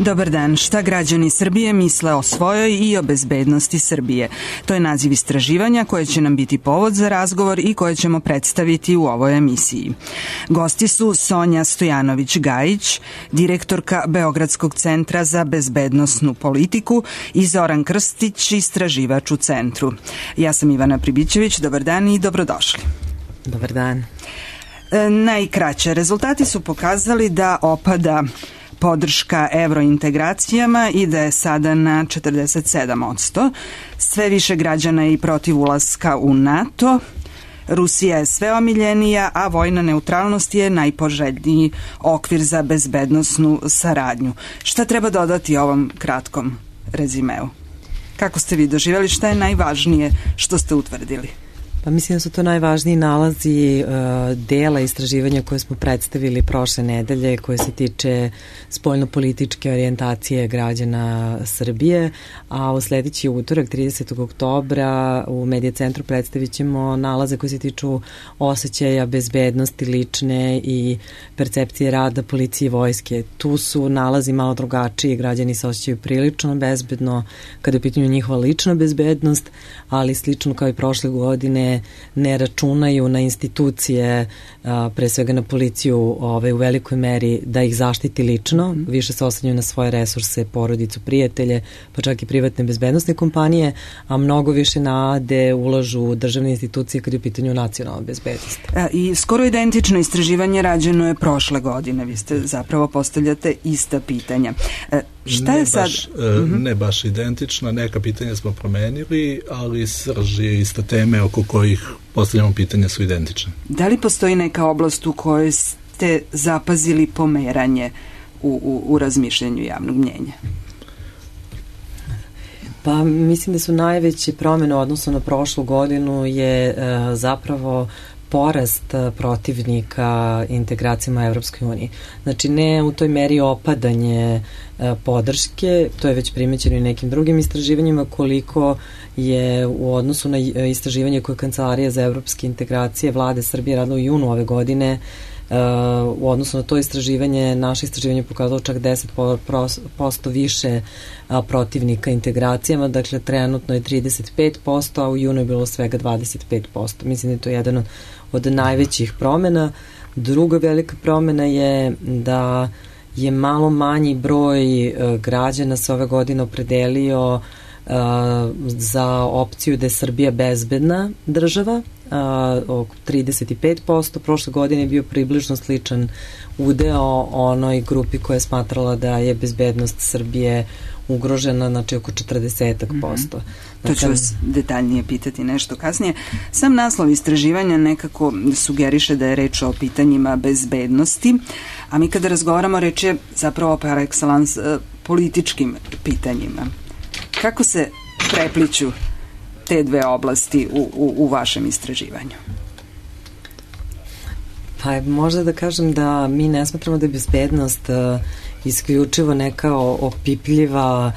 Dobar dan, šta građani Srbije misle o svojoj i o bezbednosti Srbije? To je naziv istraživanja koje će nam biti povod za razgovor i koje ćemo predstaviti u ovoj emisiji. Gosti su Sonja Stojanović-Gajić, direktorka Beogradskog centra za bezbednosnu politiku, i Zoran Krstić, istraživač u centru. Ja sam Ivana Pribićević, dobar dan i dobrodošli. Dobar dan. Najkraće, rezultati su pokazali da opada podrška evrointegracijama i da je sada na 47%. Sve više građana je i protiv ulaska u NATO. Rusija je sve omiljenija, a vojna neutralnost je najpoželjniji okvir za bezbednosnu saradnju. Šta treba dodati ovom kratkom rezimeu? Kako ste vi doživjeli? Šta je najvažnije što ste utvrdili? Pa mislim da su to najvažniji nalazi dela istraživanja koje smo predstavili prošle nedelje, koje se tiče spoljnopolitičke orijentacije građana Srbije, a u sledeći utorak, 30. oktobra, u Medija centru predstavit ćemo nalaze koje se tiču osjećaja bezbednosti lične i percepcije rada policije i vojske. Tu su nalazi malo drugačiji, građani se osjećaju prilično bezbedno kada je u pitanju njihova lična bezbednost, ali slično kao i prošle godine ne računaju na institucije, pre svega na policiju u velikoj meri da ih zaštiti lično, više se oslanjaju na svoje resurse, porodicu, prijatelje, pa čak i privatne bezbednosne kompanije, a mnogo više nade ulažu u državne institucije kad je u pitanju nacionalna bezbednost. I skoro identično istraživanje rađeno je prošle godine, vi ste zapravo postavljate ista pitanja. Šta je sad? Ne baš identična, neka pitanja smo promenili, ali srž je ista teme oko kojih postavljamo pitanja su identične. Da li postoji neka oblast u kojoj ste zapazili pomeranje u razmišljanju javnog mnjenja? Pa mislim da su najveće promene u odnosu na prošlu godinu je zapravo porast protivnika integracijama Evropskoj uniji. Znači ne u toj meri opadanje podrške, to je već primećeno i nekim drugim istraživanjima, koliko je u odnosu na istraživanje koje Kancelarija za evropske integracije Vlade Srbije radila u junu ove godine. U odnosu na to istraživanje, naše istraživanje pokazalo čak 10% više protivnika integracijama, dakle trenutno je 35%, a u junu je bilo svega 25%. Mislim da je to jedan od najvećih promena. Druga velika promena je da je malo manji broj građana se ove godine opredelio za opciju da je Srbija bezbedna država, oko 35%, prošle godine je bio približno sličan udeo onoj grupi koja je smatrala da je bezbednost Srbije ugrožena, znači oko 40%. To ću vas detaljnije pitati nešto kasnije. Sam naslov istraživanja nekako sugeriše da je reč o pitanjima bezbednosti, a mi kada razgovaramo reč je zapravo par excellence političkim pitanjima. Kako se prepliću te dve oblasti u vašem istraživanju? Pa možda da kažem da mi ne smatramo da je bezbednost isključivo neka opipljiva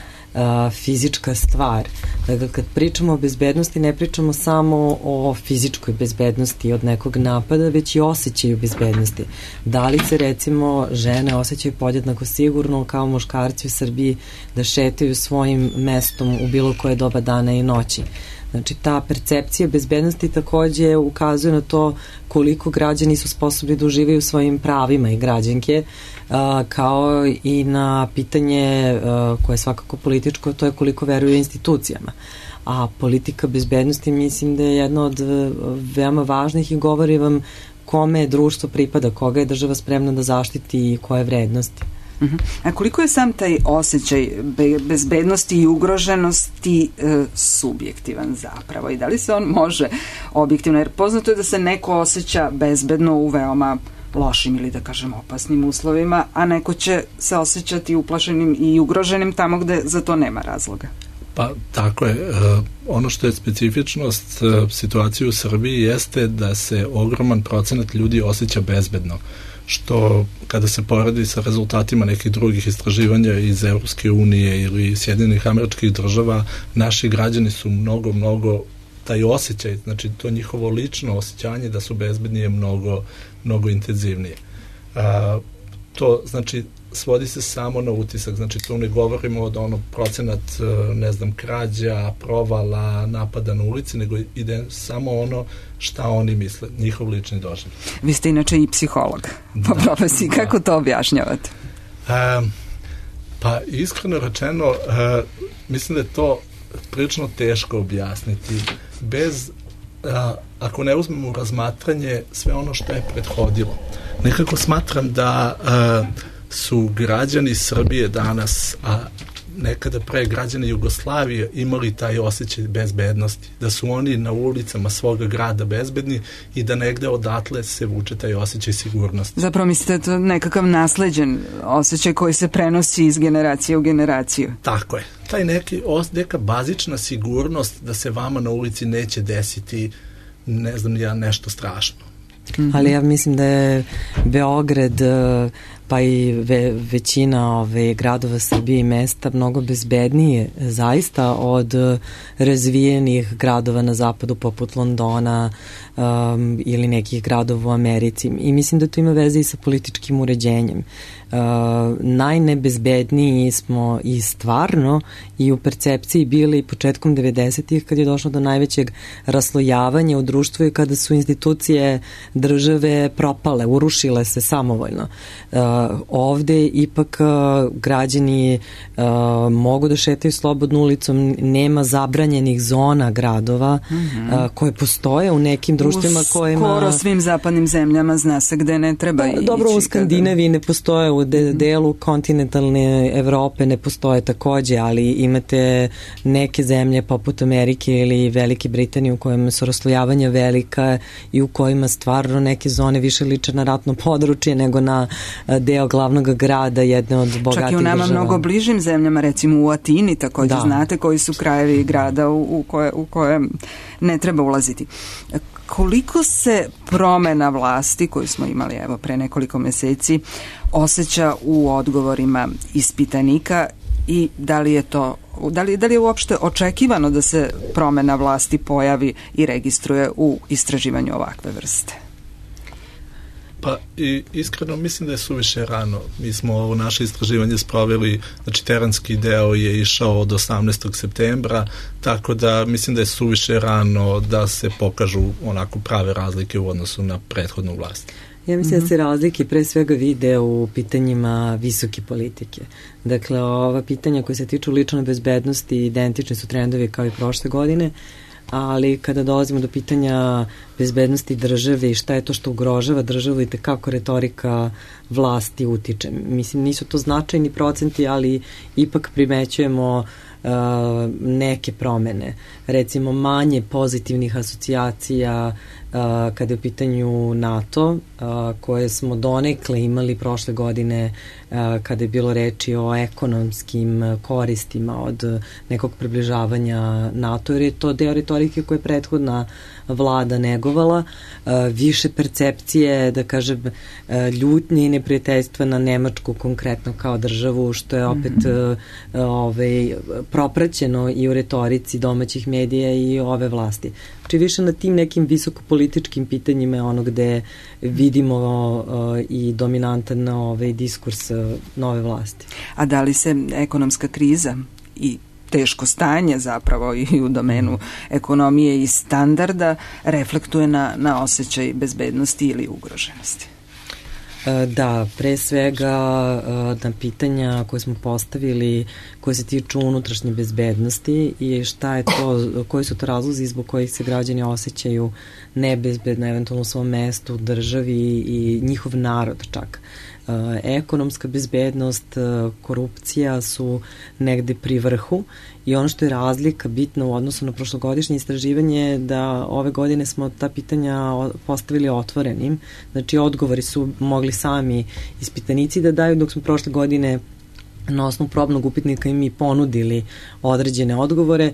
fizička stvar. Dakle, kad pričamo o bezbednosti, ne pričamo samo o fizičkoj bezbednosti od nekog napada, već i osjećaju bezbednosti. Da li se, recimo, žene osjećaju podjednako sigurno kao muškarci u Srbiji da šetaju svojim mestom u bilo koje doba dana i noći. Znači, ta percepcija bezbednosti takođe ukazuje na to koliko građani su sposobni da uživaju svojim pravima i građanke, kao i na pitanje koje je svakako političko, to je koliko veruju institucijama. A politika bezbednosti mislim da je jedna od veoma važnih i govori vam kome društvo pripada, koga je država spremna da zaštiti i koje vrednosti. A koliko je sam taj osjećaj bezbednosti i ugroženosti subjektivan zapravo i da li se on može objektivno, jer poznato je da se neko osjeća bezbedno u veoma lošim ili da kažem opasnim uslovima, a neko će se osjećati uplašenim i ugroženim tamo gde za to nema razloga. Pa tako je. Ono što je specifičnost situacije u Srbiji jeste da se ogroman procenat ljudi osjeća bezbedno, što kada se poredi sa rezultatima nekih drugih istraživanja iz Evropske unije ili Sjedinjenih Američkih Država, naši građani su mnogo taj osjećaj, znači to njihovo lično osjećanje da su bezbedni je mnogo intenzivnije. To znači svodi se samo na utisak, znači tu ne govorimo od onog procenat, ne znam, krađa, provala, napada na ulici, nego ide samo ono šta oni misle, njihov lični doživljaj. Vi ste inače i psiholog po profesiji, kako to objašnjavate? Pa iskreno rečeno, mislim da je to prilično teško objasniti, bez ako ne uzmemo u razmatranje sve ono što je prethodilo. Nekako smatram da su građani Srbije danas, a nekada pre građani Jugoslavije, imali taj osjećaj bezbednosti, da su oni na ulicama svoga grada bezbedni i da negde odatle se vuče taj osjećaj sigurnosti. Zapravo mislite da je to nekakav nasleđen osjećaj koji se prenosi iz generacije u generaciju? Tako je. Taj neka bazična sigurnost da se vama na ulici neće desiti, ne znam ja, nešto strašno. Ali ja mislim da je Beograd pa i većina gradova Srbije i mesta mnogo bezbednije zaista od razvijenih gradova na zapadu poput Londona ili nekih gradova u Americi. I mislim da to ima veze i sa političkim uređenjem. Najnebezbedniji smo i stvarno i u percepciji bili početkom 90-ih kad je došlo do najvećeg raslojavanja u društvu i kada su institucije države propale, urušile se samovoljno. Ovde ipak građani mogu da šetaju slobodno ulicom, nema zabranjenih zona gradova koje postoje u nekim društvima kojima... U skoro svim zapadnim zemljama zna se gde ne treba ići. Dobro, u Skandinaviji ne postoje, u delu kontinentalne Evrope ne postoje takođe, ali imate neke zemlje poput Amerike ili Velike Britanije u kojima su raslojavanja velika i u kojima stvarno neke zone više liče na ratno područje nego na deo glavnog grada jedne od bogatih država. Čak i u nama mnogo bližim zemljama, recimo u Atini takođe znate koji su krajevi grada u koje ne treba ulaziti. Koliko se promena vlasti koju smo imali pre nekoliko meseci osjeća u odgovorima ispitanika i da li je uopšte očekivano da se promena vlasti pojavi i registruje u istraživanju ovakve vrste? Pa iskreno mislim da je suviše rano. Mi smo ovo naše istraživanje sproveli, znači terenski deo je išao od 18. septembra, tako da mislim da je suviše rano da se pokažu onako prave razlike u odnosu na prethodnu vlast. Ja mislim da se razlike pre svega vide u pitanjima visoke politike. Dakle, ova pitanja koja se tiču lične bezbednosti identični su trendovi kao i prošle godine, ali kada dolazimo do pitanja bezbednosti države i šta je to što ugrožava državu i tekako retorika vlasti utiče. Mislim, nisu to značajni procenti, ali ipak primećujemo neke promene. Recimo, manje pozitivnih asocijacija kada je u pitanju NATO, koje smo donekle imali prošle godine kada je bilo reči o ekonomskim koristima od nekog približavanja NATO, jer je to deo retorike koje je prethodna vlada negovala, više percepcije, da kažem, ljutnje i neprijateljstva na Nemačku konkretno kao državu, što je opet propraćeno i u retorici domaćih medija i ove vlasti. Znači više na tim nekim visokopolitičkim pitanjima je ono gde vidimo i dominantan diskurs nove vlasti. A da li se ekonomska kriza i teško stanje zapravo i u domenu ekonomije i standarda reflektuje na osjećaj bezbednosti ili ugroženosti? Da, pre svega na pitanja koje smo postavili koje se tiču unutrašnje bezbednosti i šta je to, koji su to razlozi zbog kojih se građani osjećaju nebezbedno eventualno u svom mestu, državi i njihov narod čak. Ekonomska bezbednost, korupcija su negde pri vrhu i ono što je razlika bitna u odnosu na prošlogodišnje istraživanje je da ove godine smo ta pitanja postavili otvorenim, znači odgovori su mogli sami ispitanici da daju, dok smo prošle godine na osnovu probnog upitnika i mi ponudili određene odgovore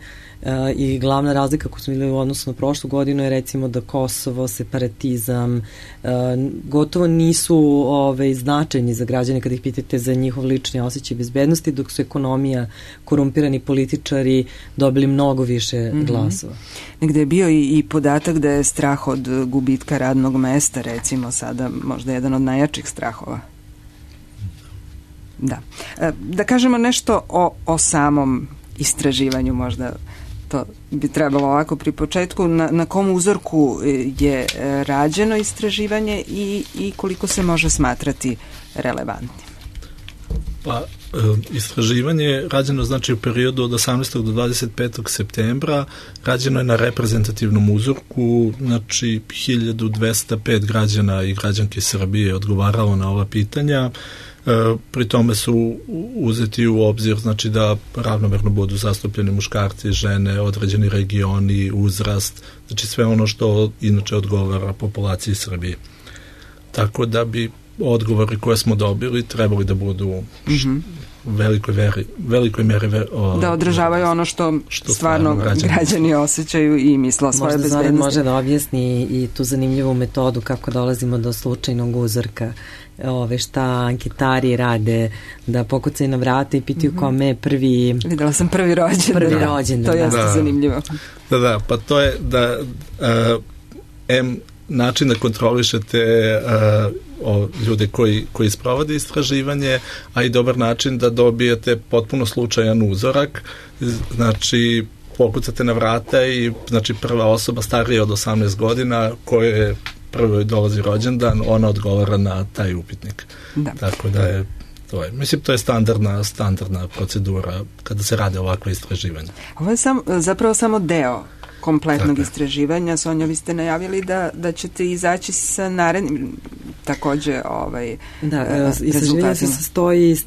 i glavna razlika koju smo videli u odnosu na prošlu godinu je recimo da Kosovo, separatizam gotovo nisu značajni za građane kada ih pitate za njihov lični osjećaj bezbednosti, dok su ekonomija, korumpirani političari dobili mnogo više glasova. Negde je bio i podatak da je strah od gubitka radnog mesta recimo sada možda jedan od najjačih strahova. Da. Da kažemo nešto o samom istraživanju, možda to bi trebalo ovako pri početku, na kom uzorku je rađeno istraživanje i koliko se može smatrati relevantnim? Pa, istraživanje je rađeno znači u periodu od 18. do 25. septembra, rađeno je na reprezentativnom uzorku, znači 1205 građana i građanki Srbije je odgovaralo na ova pitanja. Pri tome su uzeti u obzir znači da ravnomerno budu zastupljeni muškarci, žene, određeni regioni, uzrast, znači sve ono što inače odgovara populaciji Srbije. Tako da bi odgovori koje smo dobili trebali da budu velikoj meri da odražavaju ono što stvarno građani osjećaju i misle o svoje bezbednosti. Možda može da objasni i tu zanimljivu metodu kako dolazimo do slučajnog uzorka, šta anketari rade, da pokucaju na vrata i pitaju kome je prvi... Videla sam prvi rođendan. To je zanimljivo. Da, pa to je da način da kontrolišete ljude koji sprovode istraživanje, a i dobar način da dobijete potpuno slučajan uzorak, znači pokucate na vrata i znači prva osoba starija od 18 godina koje prvo dolazi rođendan, ona odgovara na taj upitnik. Da. Tako da je to je. Mislim, to je standardna procedura kada se rade ovakve istraživanja. Ovo je zapravo samo deo kompletnog istraživanja. Sonja, vi ste najavili da ćete izaći sa narednim takođe istraživanje se sastoji iz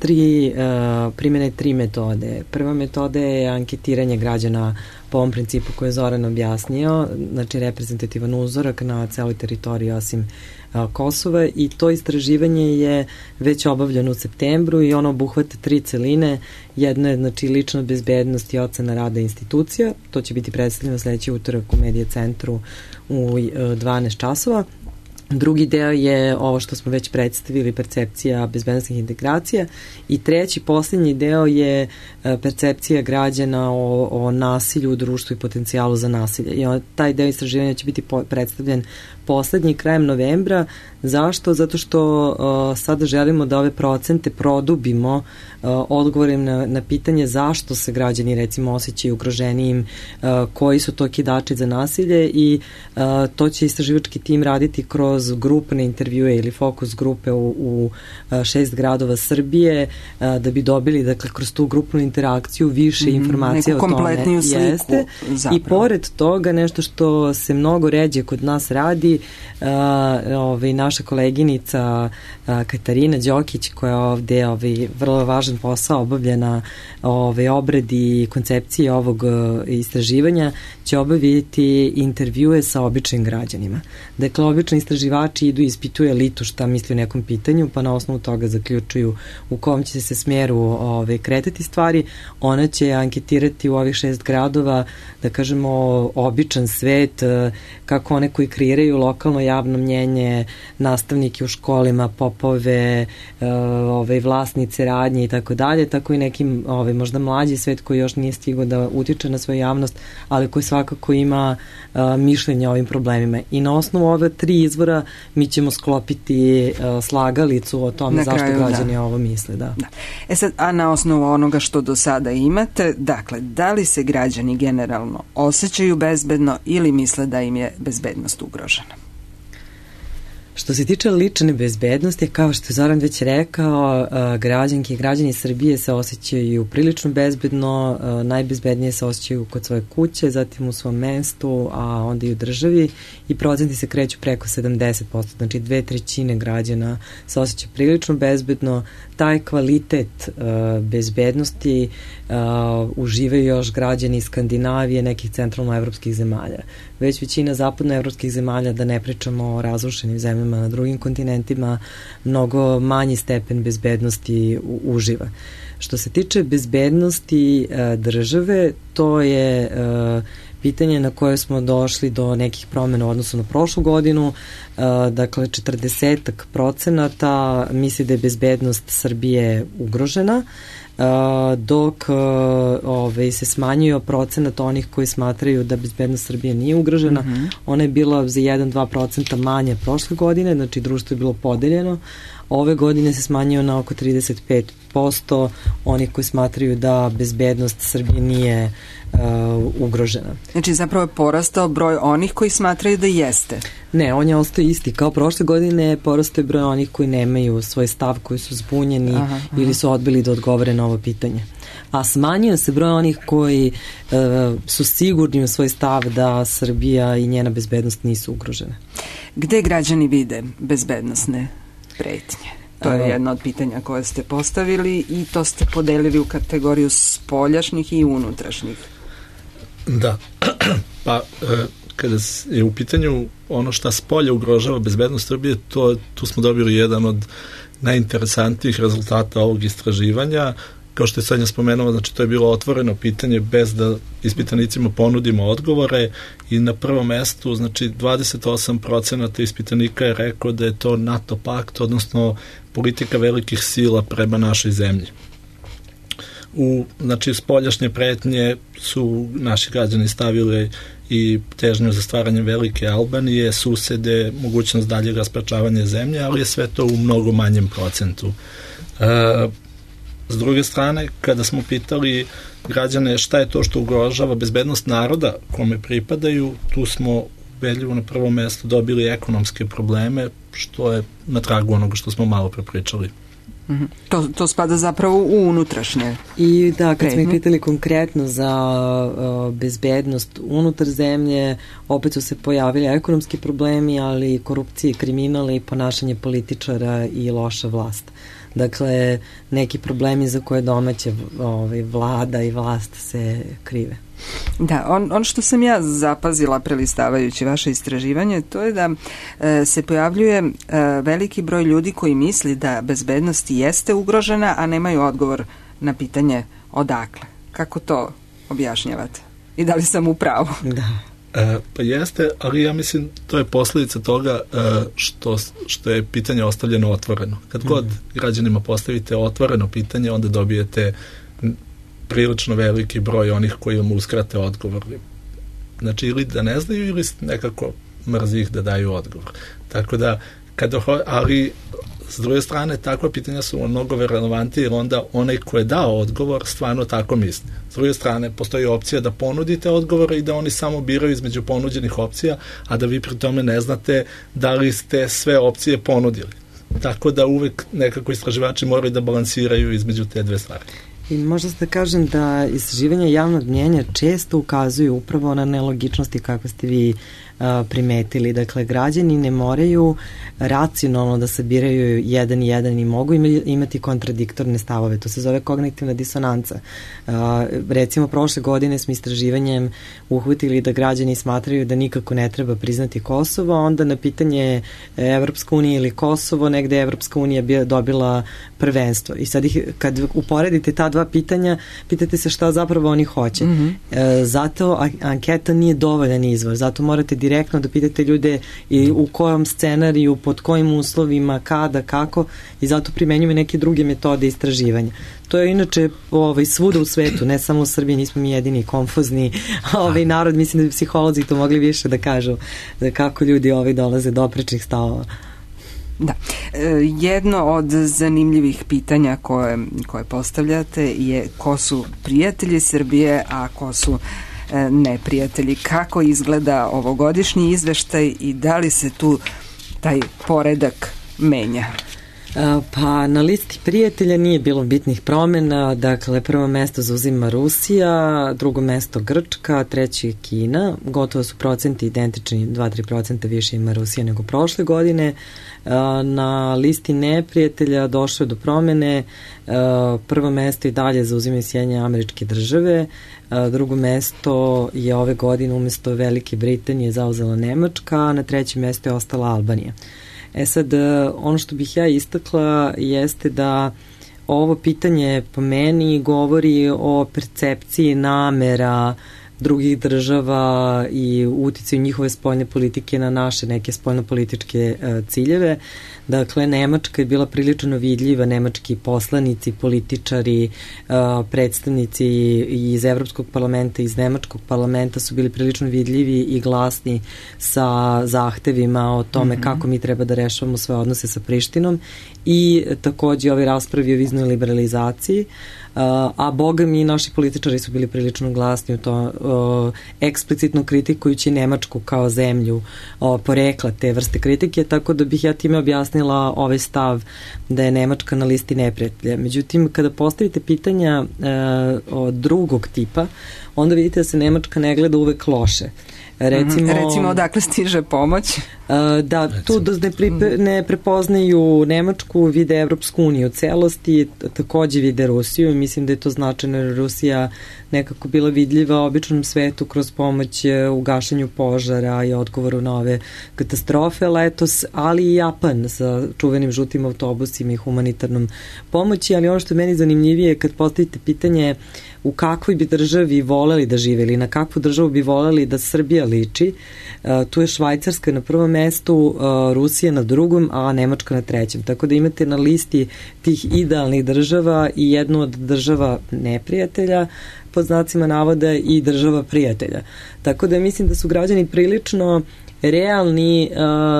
primjene 3 metode. Prva metoda je anketiranje građana po ovom principu koje je Zoran objasnio, znači reprezentativan uzorak na celoj teritoriji osim Kosova, i to istraživanje je već obavljeno u septembru i ono obuhvata 3 celine. Jedna je znači lična bezbednost i ocena rada institucija, to će biti predstavljeno sledeći utorak u Medija centru u 12 časova. Drugi deo je ovo što smo već predstavili, percepcija bezbednosnih integracija, i treći, posljednji deo je percepcija građana o nasilju u društvu i potencijalu za nasilje. I taj deo istraživanja će biti predstavljen poslednji krajem novembra. Zašto? Zato što sada želimo da ove procente produbimo odgovorim na pitanje zašto se građani recimo osjećaju ugroženijim, koji su to kidači za nasilje, i to će istraživački tim raditi kroz grupne intervjue ili fokus grupe u 6 gradova Srbije, da bi dobili dakle kroz tu grupnu interakciju više informacija o tome. Kompletniju sliku. I pored toga nešto što se mnogo ređe kod nas radi, naša koleginica Katarina Đokić, koja je ovde vrlo važan posao obavljena obradi i koncepcije ovog istraživanja, će obaviti intervjue sa običnim građanima. Dakle, obični istraživači idu i ispituju elitu šta misli o nekom pitanju, pa na osnovu toga zaključuju u kom će se smeru kretati stvari. Ona će anketirati u ovih 6 gradova, da kažemo, običan svet, kako one koji kreiraju lokalno javno mnjenje, nastavnike u školima, popove, vlasnice radnje i tako dalje, tako i nekim možda mlađi svet koji još nije stigao da utiče na svoju javnost, ali koji svakako ima mišljenje o ovim problemima. I na osnovu ove 3 izvora mi ćemo sklopiti slagalicu o tome zašto građani ovo misle. Da. Sad, a na osnovu onoga što do sada imate, dakle, da li se građani generalno osjećaju bezbedno ili misle da im je bezbednost ugrožena? Što se tiče lične bezbednosti, kao što je Zoran već rekao, građanke i građani Srbije se osjećaju prilično bezbedno, najbezbednije se osjećaju kod svoje kuće, zatim u svom mestu, a onda i u državi, i procenti se kreću preko 70%, znači 2/3 građana se osjeća prilično bezbedno. Taj kvalitet bezbednosti uživaju još građani iz Skandinavije, nekih centralnoevropskih zemalja. Već većina zapadnoevropskih zemalja, da ne pričamo o razrušenim zemljama na drugim kontinentima, mnogo manji stepen bezbednosti uživa. Što se tiče bezbednosti države, to je pitanje na koje smo došli do nekih promjena u odnosu na prošlu godinu. Dakle, 40% misli da je bezbednost Srbije ugrožena. dok se smanjio procenat onih koji smatraju da bezbednost Srbije nije ugrožena. Ona je bila za 1-2% manja prošle godine, znači društvo je bilo podeljeno. Ove godine se smanjio na oko 35% onih koji smatraju da bezbednost Srbije nije ugrožena. Znači zapravo je porastao broj onih koji smatraju da jeste. Ne, on je ostao isti. Kao prošle godine porastao je broj onih koji nemaju svoj stav, koji su zbunjeni ili su odbili da odgovore na ovo pitanje. A smanjio se broj onih koji su sigurni u svoj stav da Srbija i njena bezbednost nisu ugrožene. Gde građani vide bezbednosne pretnje? To je jedno od pitanja koje ste postavili i to ste podelili u kategoriju spoljašnjih i unutrašnjih. Da, pa kada je u pitanju ono šta spolja ugrožava bezbednost Srbije, tu smo dobili jedan od najinteresantnijih rezultata ovog istraživanja. Kao što je Sanja spomenula, znači to je bilo otvoreno pitanje bez da ispitanicima ponudimo odgovore i na prvom mestu, znači 28% ispitanika je rekao da je to NATO pakt, odnosno politika velikih sila prema našoj zemlji. Znači, spoljašnje pretnje su naši građani stavili i težnju za stvaranje velike Albanije, susede, mogućnost daljeg rasparčavanja zemlje, ali je sve to u mnogo manjem procentu. S druge strane, kada smo pitali građane šta je to što ugrožava bezbednost naroda kome pripadaju, tu smo ubedljivo na prvom mestu dobili ekonomske probleme, što je na tragu onoga što smo malo prepričali. To spada zapravo u unutrašnje. I da, kad smo ih pitali konkretno za bezbednost unutar zemlje, opet su se pojavili ekonomski problemi, ali korupcija, kriminal i ponašanje političara i loša vlast. Dakle, neki problemi za koje domaće vlada i vlast se krive. Da, ono što sam ja zapazila prelistavajući vaše istraživanje, to je da se pojavljuje veliki broj ljudi koji misli da bezbednost jeste ugrožena, a nemaju odgovor na pitanje odakle. Kako to objašnjavate? I da li sam u pravu? Da. Pa jeste, ali ja mislim to je posljedica toga što je pitanje ostavljeno otvoreno. Kad god građanima postavite otvoreno pitanje, onda dobijete prilično veliki broj onih koji vam uskrate odgovor. Znači, ili da ne znaju, ili nekako mrzi ih da daju odgovor. Tako da, ali s druge strane, takva pitanja su mnogo relevantnije, jer onda onaj ko je dao odgovor stvarno tako misli. S druge strane, postoji opcija da ponudite odgovore i da oni samo biraju između ponuđenih opcija, a da vi pri tome ne znate da li ste sve opcije ponudili. Tako da uvek nekako istraživači moraju da balansiraju između te dve stvari. I možda se da kažem da istraživanja javnog mnjenja često ukazuju upravo na nelogičnosti kako ste vi primetili. Dakle, građani ne moraju racionalno da sabiraju jedan i jedan i mogu imati kontradiktorne stavove. To se zove kognitivna disonanca. Recimo, prošle godine smo istraživanjem uhvatili da građani smatraju da nikako ne treba priznati Kosovo, a onda na pitanje Evropska unija ili Kosovo, negde Evropska unija dobila prvenstvo. I sad kad uporedite ta dva pitanja, pitate se šta zapravo oni hoće. Zato anketa nije dovoljan izvor. Zato morate direktno da pitate ljude i u kojom scenariju, pod kojim uslovima, kada, kako, i zato primenjuju neke druge metode istraživanja. To je inače svuda u svetu, ne samo u Srbiji, nismo mi jedini konfuzni narod, mislim da bi psiholozi to mogli više da kažu, da kako ljudi dolaze do oprečnih stavova. Da. Jedno od zanimljivih pitanja koje postavljate je ko su prijatelji Srbije, a ko su neprijatelji. Kako izgleda ovogodišnji izveštaj i da li se tu taj poredak menja? Pa na listi prijatelja nije bilo bitnih promjena, dakle prvo mesto zauzima Rusija, drugo mesto Grčka, treći je Kina, gotovo su procenti identični, 2-3% više ima Rusija nego prošle godine. Na listi neprijatelja došlo je do promjene, prvo mesto i dalje zauzimaju Sjedinjene Američke Države, drugo mesto je ove godine umjesto Velike Britanije zauzela Nemačka, a na trećem mestu je ostala Albanija. Sad, ono što bih ja istakla jeste da ovo pitanje po meni govori o percepciji namera drugih država i uticaju njihove spoljne politike na naše neke spoljnopolitičke ciljeve. Dakle, Nemačka je bila prilično vidljiva, nemački poslanici, političari, predstavnici iz Evropskog parlamenta, iz Nemačkog parlamenta su bili prilično vidljivi i glasni sa zahtevima o tome kako mi treba da rešavamo svoje odnose sa Prištinom i takođe ove raspravi o viznoj liberalizaciji, a boga mi naši političari su bili prilično glasni u to, eksplicitno kritikujući Nemačku kao zemlju porekla te vrste kritike, tako da bih ja time objasnila ovaj stav da je Nemačka na listi neprijatelja. Međutim, kada postavite pitanja od drugog tipa, onda vidite da se Nemačka ne gleda uvek loše. Recimo odakle stiže pomoć? Da, tu ne prepoznaju Nemačku, vide Evropsku uniju u celosti, takođe vide Rusiju i mislim da je to značajno jer Rusija nekako bila vidljiva običnom svetu kroz pomoć u gašenju požara i odgovoru na ove katastrofe letos, ali i Japan sa čuvenim žutim autobusima i humanitarnom pomoći, ali ono što je meni zanimljivije je kad postavite pitanje u kakvoj bi državi voleli da žive ili na kakvu državu bi voleli da Srbija liči, tu je Švajcarska na prvom mestu, Rusija na drugom, a Nemačka na trećem. Tako da imate na listi tih idealnih država i jednu od država neprijatelja, pod znacima navoda, i država prijatelja. Tako da mislim da su građani prilično realni,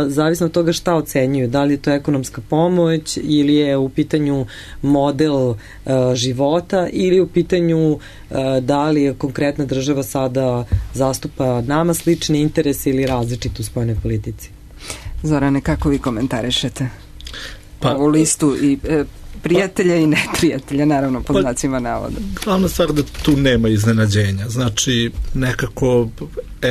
zavisno od toga šta ocenjuju, da li je to ekonomska pomoć ili je u pitanju model života ili u pitanju da li je konkretna država sada zastupa nama slične interese ili različite u spoljnoj politici. Zorane, kako vi komentarišete ovu listu i prijatelja i neprijatelja, naravno pod znacima navoda? Glavna stvar da tu nema iznenađenja. Znači, nekako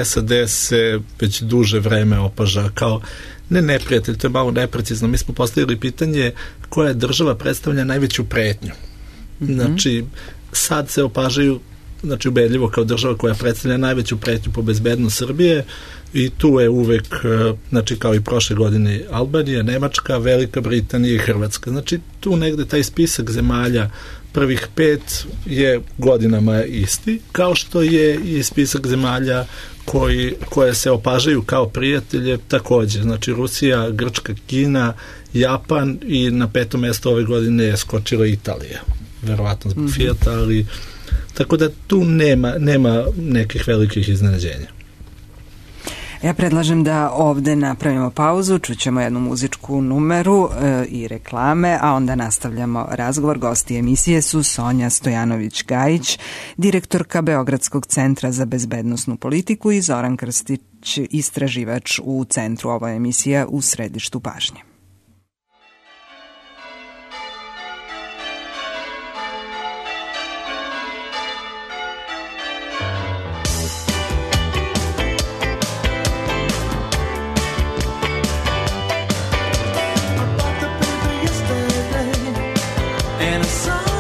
SAD se već duže vreme opaža kao ne neprijatelj, to je malo neprecizno. Mi smo postavili pitanje koja država predstavlja najveću pretnju. Znači, sad se opažaju ubedljivo kao država koja predstavlja najveću pretnju po bezbednost Srbije i tu je uvek, kao i prošle godine, Albanija, Nemačka, Velika Britanija i Hrvatska. Znači, tu negde taj spisak zemalja prvih 5 je godinama isti, kao što je i spisak zemalja koje se opažaju kao prijatelje takođe. Znači, Rusija, Grčka, Kina, Japan i na 5. mesto ove godine je skočila Italija. Verovatno zbog Fijata, ali tako da tu nema nekih velikih iznenađenja. Ja predlažem da ovde napravimo pauzu, čućemo jednu muzičku numeru i reklame, a onda nastavljamo razgovor. Gosti emisije su Sonja Stojanović-Gajić, direktorka Beogradskog centra za bezbednosnu politiku, i Zoran Krstić, istraživač u centru. Ovo je emisija U središtu pažnje. If I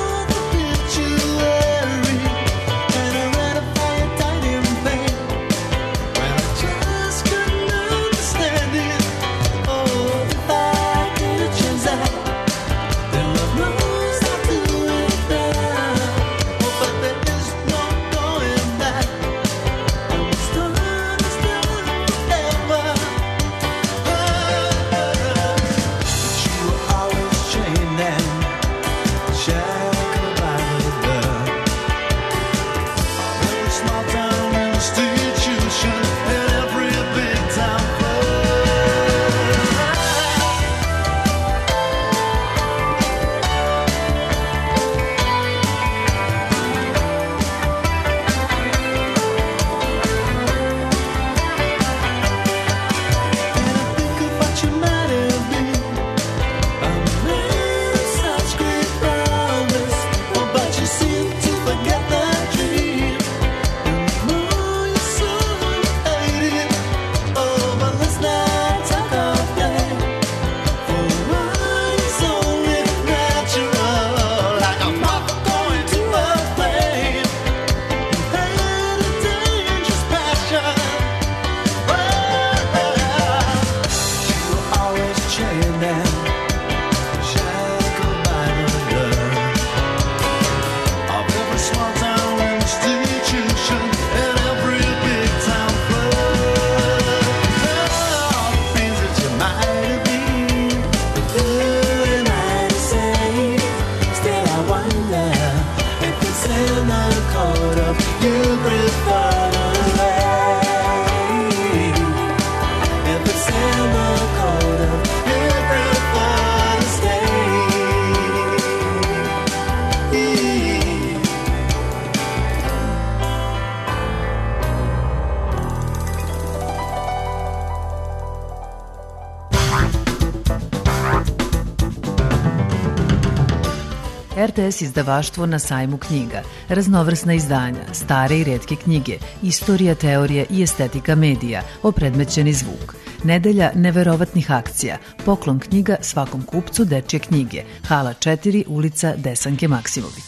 RTS izdavaštvo na sajmu knjiga, raznovrsna izdanja, stare i retke knjige, istorija, teorija i estetika medija, opredmećeni zvuk. Nedelja neverovatnih akcija, poklon knjiga svakom kupcu dečje knjige, hala 4, ulica Desanke Maksimović.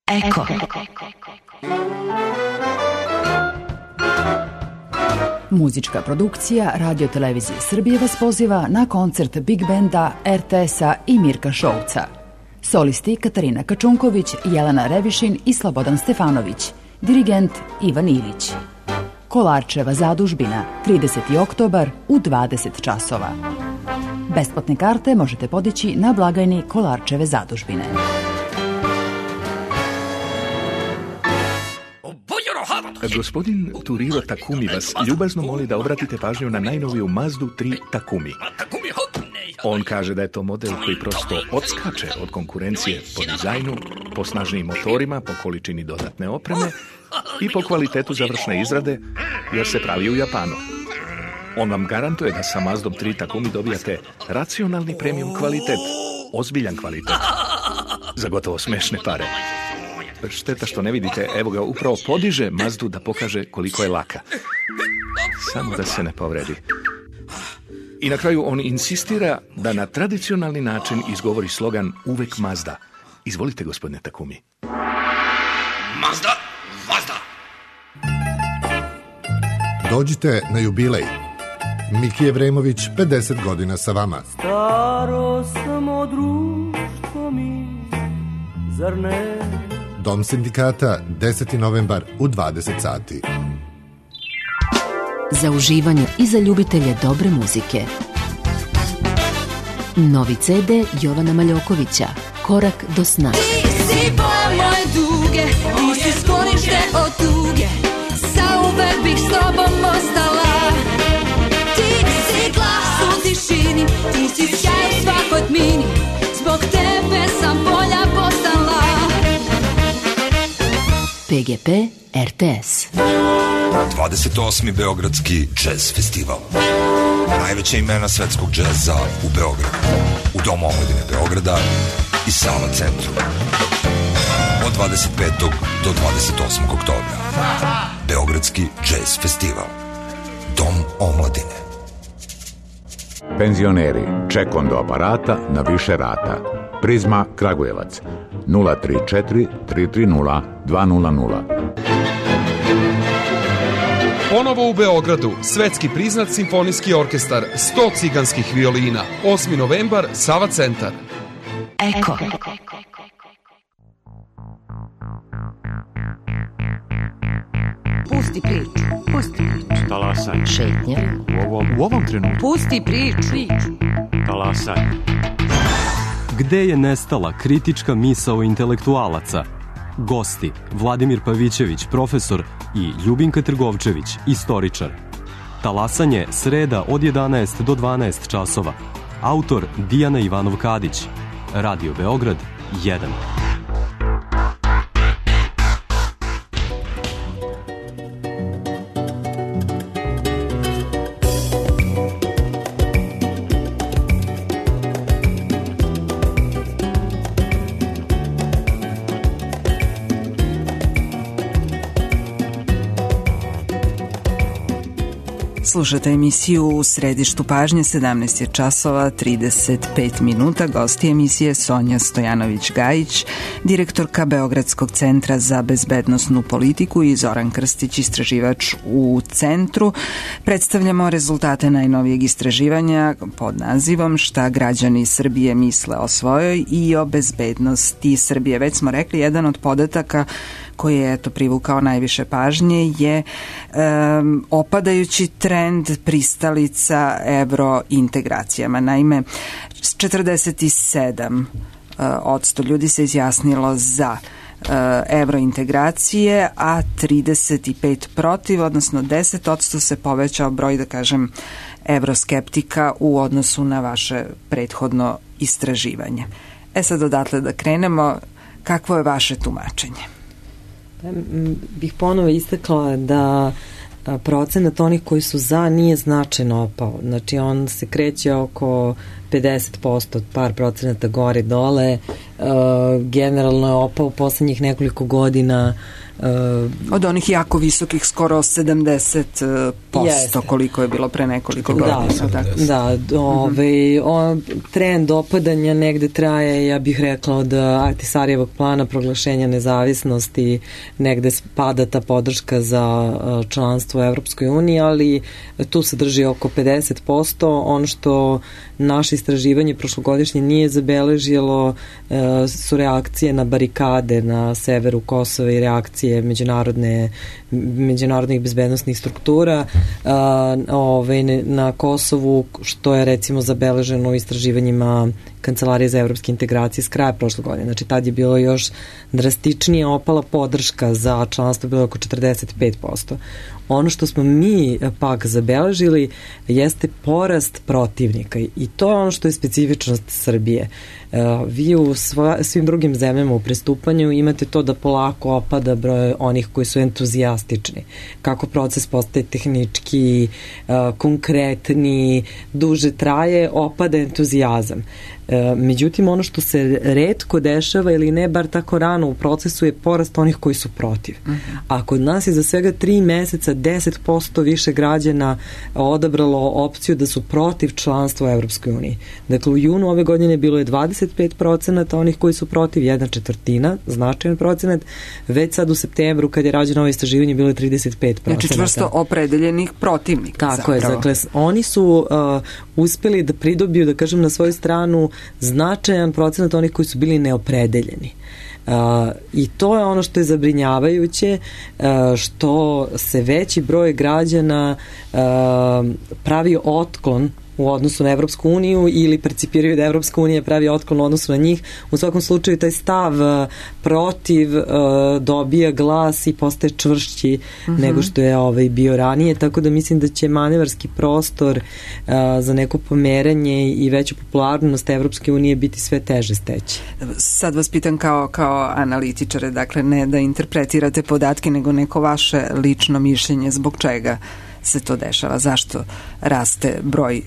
Eko. Muzička produkcija Radio Televizije Srbije vas poziva na koncert Big Benda, RTS-a i Mirka Šouca. Solisti Katarina Kačunković, Jelena Revišin i Slobodan Stefanović. Dirigent Ivan Ilić. Kolarčeva zadužbina, 30. oktobar u 20 časova. Besplatne karte možete podići na blagajni Kolarčeve zadužbine. Gospodin Turiro Takumi vas ljubazno moli da obratite pažnju na najnoviju Mazdu 3 Takumi. On kaže da je to model koji prosto odskače od konkurencije po dizajnu, po snažnijim motorima, po količini dodatne opreme i po kvalitetu završne izrade, jer se pravi u Japanu. On vam garantuje da sa Mazdom 3 Takumi dobijate racionalni premium kvalitet, ozbiljan kvalitet, za gotovo smešne pare. Šteta što ne vidite, evo ga, upravo podiže Mazdu da pokaže koliko je laka. Samo da se ne povredi. I na kraju on insistira da na tradicionalni način izgovori slogan uvek Mazda. Izvolite, gospodine Takumi. Mazda, Mazda. Dođite na jubilej. Miki Evremović, 50 godina sa vama. Staro samo društvo mi, zar ne? Dom sindikata, 10. novembar u 20 sati. Za uživanje i za ljubitelje dobre muzike. Novi CD Jovana Maljokovića, Korak do sna. Ti si boja moje duge, ti si sklonište od tuge, zauvek bih s tobom ostala. Ti si glas u tišini, ti si sjaj u svakoj tmini, zbog tebe sam bolja postala. PGP RTS. 28. Beogradski jazz festival. Najveća imena svetskog džeza u Beogradu. U Domu omladine Beograda i Sava centru. Od 25. do 28. oktobra. Beogradski jazz festival. Dom omladine. Penzioneri, ček do aparata na više rata. Prizma Kragujevac 034 330 200. Ponovo u Beogradu, svetski priznat simfonijski orkestar, 100 ciganskih violina, 8. novembar, Sava centar. Eko. Pusti priču, pusti priču. Talasanje. Šetnja. U ovom trenutku. Pusti priču. Talasanje. Gde je nestala kritička misao intelektualaca? Gosti Vladimir Pavićević, profesor, i Ljubinka Trgovčević, istoričar. Talasanje, sreda od 11 do 12 časova. Autor Dijana Ivanov-Kadić. Radio Beograd 1. Slušate emisiju U središtu pažnje, 17 je časova 35 minuta. Gosti emisije Sonja Stojanović-Gajić, direktorka Beogradskog centra za bezbednosnu politiku, i Zoran Krstić, istraživač u centru. Predstavljamo rezultate najnovijeg istraživanja pod nazivom Šta građani Srbije misle o svojoj i o bezbednosti Srbije. Već smo rekli, jedan od podataka koji je privukao najviše pažnje je opadajući trend pristalica evrointegracijama. Naime, 47% ljudi se izjasnilo za evrointegracije, a 35% protiv, odnosno 10% se povećao broj, da kažem, evroskeptika u odnosu na vaše prethodno istraživanje. Sad odatle da krenemo, kakvo je vaše tumačenje? Bih ponovo istakla da procenat onih koji su za nije značajno opao. Znači on se kreće oko 50%, par procenata gore dole. Generalno je opao u poslednjih nekoliko godina. Od onih jako visokih skoro 70%, koliko je bilo pre nekoliko godina. Trend opadanja negde traje, ja bih rekla, od Ahtisarijevog plana proglašenja nezavisnosti, negde pada ta podrška za članstvo u Evropskoj uniji, ali tu se drži oko 50%. Ono što naše istraživanje prošlogodišnje nije zabeležilo su reakcije na barikade na severu Kosova i reakcije međunarodnih bezbednostnih struktura na Kosovu, što je recimo zabeleženo u istraživanjima Kancelarije za evropske integracije s kraja prošle godine. Znači tad je bilo još drastičnije opala podrška za članstvo, bilo oko 45%. Ono što smo mi pak zabeležili jeste porast protivnika i to je ono što je specifičnost Srbije. Vi u svim drugim zemljama u pristupanju imate to da polako opada broj onih koji su entuzijastični. Kako proces postaje tehnički, konkretni, duže traje, opada entuzijazam. Međutim, ono što se retko dešava ili ne bar tako rano u procesu je porast onih koji su protiv. A kod nas je za svega 3 meseca 10% više građana odabralo opciju da su protiv članstva u Evropskoj uniji. Dakle, u junu ove godine bilo je 25% onih koji su protiv, 1/4, značajan procenat. Već sad u septembru, kad je rađeno ovo istraživanje, bilo je 35%. Znači čvrsto opredeljenih protivnika. Tako je, dakle, oni su uspeli da pridobiju, da kažem, na svoju stranu značajan procenat onih koji su bili neopredeljeni. I to je ono što je zabrinjavajuće, što se veći broj građana pravi otklon u odnosu na Evropsku uniju ili percipiraju da Evropska unija pravi otklon u odnosu na njih. U svakom slučaju taj stav protiv dobija glas i postaje čvršći nego što je bio ranije, tako da mislim da će manevarski prostor za neko pomeranje i veću popularnost Evropske unije biti sve teže steći. Sad vas pitam kao analitičare, dakle ne da interpretirate podatke, nego neko vaše lično mišljenje zbog čega se to dešava, zašto raste broj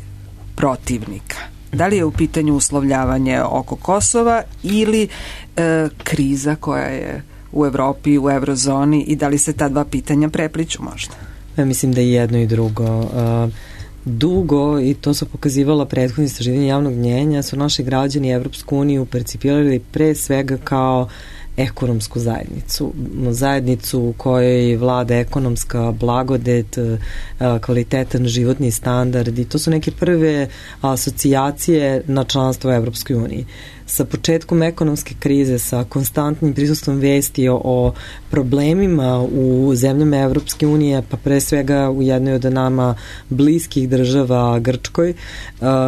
protivnika. Da li je u pitanju uslovljavanje oko Kosova ili kriza koja je u Evropi, u eurozoni, i da li se ta dva pitanja prepliću možda? Ja mislim da je jedno i drugo. Dugo, i to su pokazivala prethodne istraživanja javnog mnjenja, su naši građani Evropsku uniju percipirali pre svega kao ekonomsku zajednicu u kojoj vlada ekonomska blagodet, kvalitetan životni standard, i to su neke prve asocijacije na članstvo u Evropskoj uniji. Sa početkom ekonomske krize, sa konstantnim prisustvom vesti o problemima u zemljama Evropske unije, pa pre svega u jednoj od nama bliskih država, Grčkoj,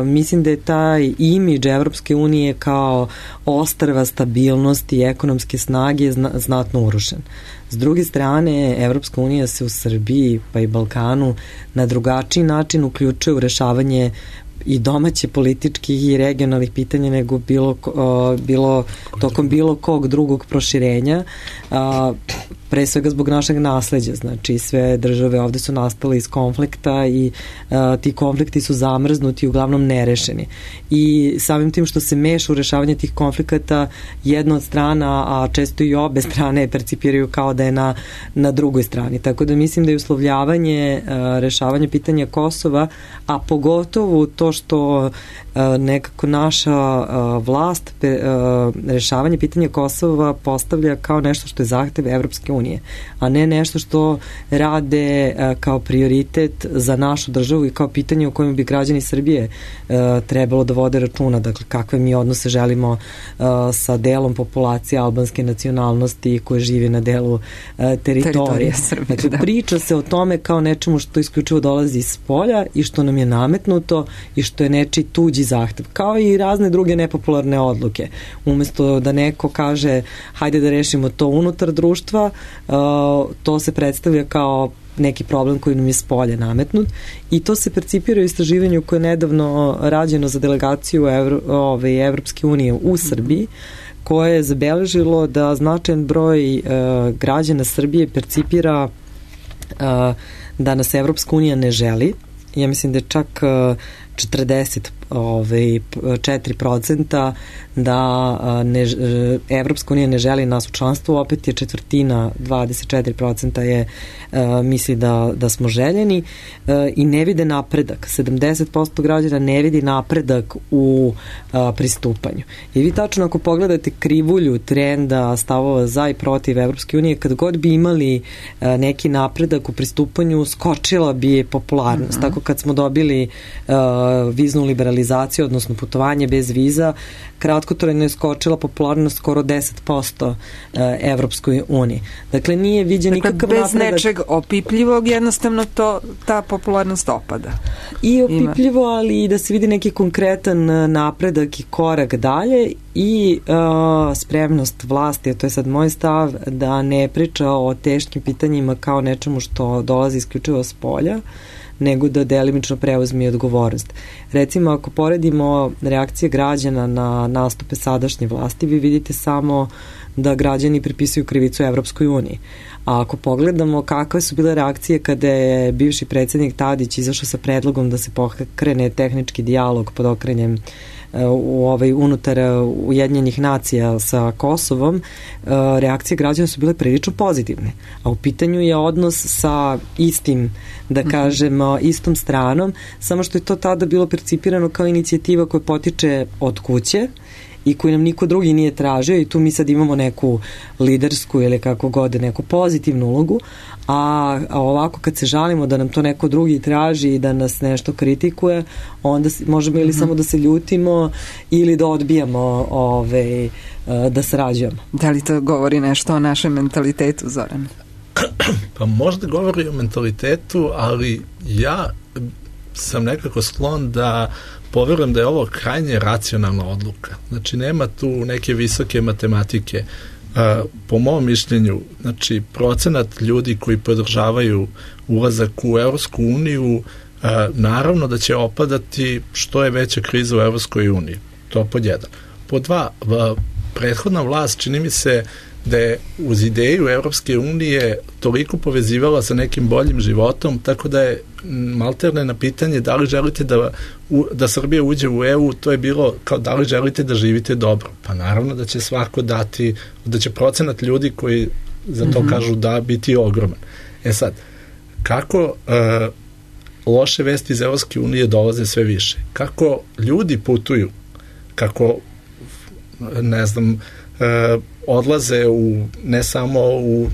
mislim da je taj imidž Evropske unije kao ostrva stabilnosti i ekonomske snage znatno urušen. S druge strane, Evropska unija se u Srbiji pa i Balkanu na drugačiji način uključuje u rešavanje i domaće političkih i regionalnih pitanja nego bilo tokom bilo kog drugog proširenja, pre svega zbog našeg nasleđa. Znači, sve države ovde su nastale iz konflikta i ti konflikti su zamrznuti i uglavnom nerešeni. I samim tim što se meša u rešavanje tih konflikata, jedna od strana, a često i obe strane percipiraju kao da je na drugoj strani. Tako da mislim da je uslovljavanje, rešavanje pitanja Kosova, a pogotovo to što nekako naša vlast rešavanje pitanja Kosova postavlja kao nešto što je zahtev Evropske unije, a ne nešto što rade kao prioritet za našu državu i kao pitanje o kojem bi građani Srbije trebalo da vode računa. Dakle, kakve mi odnose želimo sa delom populacije albanske nacionalnosti koje živi na delu teritorije Srbije. Dakle, priča se o tome kao nečemu što isključivo dolazi iz polja i što nam je nametnuto i što je nečiji tuđi zahtev, kao i razne druge nepopularne odluke. Umesto da neko kaže hajde da rešimo to unutar društva, to se predstavlja kao neki problem koji nam je s polja nametnut, i to se percipira u istraživanju koje je nedavno rađeno za delegaciju Evropske unije u Srbiji, koje je zabeležilo da značajan broj građana Srbije percipira da nas Evropska unija ne želi. Ja mislim da je čak 44% da Evropska unija ne želi nas u članstvu, opet je četvrtina, 24% je misli da smo željeni i ne vide napredak. 70% građana ne vidi napredak u pristupanju. I vi tačno ako pogledate krivulju trenda stavova za i protiv Evropske unije, kad god bi imali neki napredak u pristupanju, skočila bi popularnost. Tako kad smo dobili viznu liberalizaciju, odnosno putovanje bez viza, kratkotrajno je skočila popularnost skoro 10% Evropskoj uniji. Dakle, nije viđen nikakav napredak. Bez nečeg opipljivog, jednostavno ta popularnost opada. I opipljivo, ali i da se vidi neki konkretan napredak i korak dalje i spremnost vlasti, to je sad moj stav, da ne priča o teškim pitanjima kao nečemu što dolazi isključivo s polja, nego da delimično preuzme odgovornost. Recimo, ako poredimo reakcije građana na nastupe sadašnje vlasti, vi vidite samo da građani pripisuju krivicu Evropskoj uniji. A ako pogledamo kakve su bile reakcije kada je bivši predsjednik Tadić izašao sa predlogom da se pokrene tehnički dijalog pod okrenjem unutar Ujedinjenih nacija sa Kosovom, reakcije građana su bile prilično pozitivne. A u pitanju je odnos sa istim, da kažemo, istom stranom, samo što je to tada bilo percipirano kao inicijativa koja potiče od kuće i koju nam niko drugi nije tražio i tu mi sad imamo neku lidersku ili kako god, neku pozitivnu ulogu, a ovako kad se žalimo da nam to neko drugi traži i da nas nešto kritikuje, onda možemo ili samo da se ljutimo ili da odbijamo da sarađujemo. Da li to govori nešto o našem mentalitetu, Zoran? Pa možda govori o mentalitetu, ali ja sam nekako sklon da poverujem da je ovo krajnje racionalna odluka. Znači, nema tu neke visoke matematike. Po mom mišljenju, znači, procenat ljudi koji podržavaju ulazak u Evropsku uniju, naravno da će opadati što je veća kriza u Evropskoj uniji. To pod jedan. Pod dva, prethodna vlast, čini mi se da je uz ideju Evropske unije toliko povezivala sa nekim boljim životom, tako da je malterne na pitanje da li želite da Srbija uđe u EU, to je bilo kao da li želite da živite dobro. Pa naravno da će svako dati, da će procenat ljudi koji za to kažu da biti ogroman. E sad, kako loše vesti iz Evropske unije dolaze sve više? Kako ljudi putuju? Kako, ne znam, odlaze ne samo u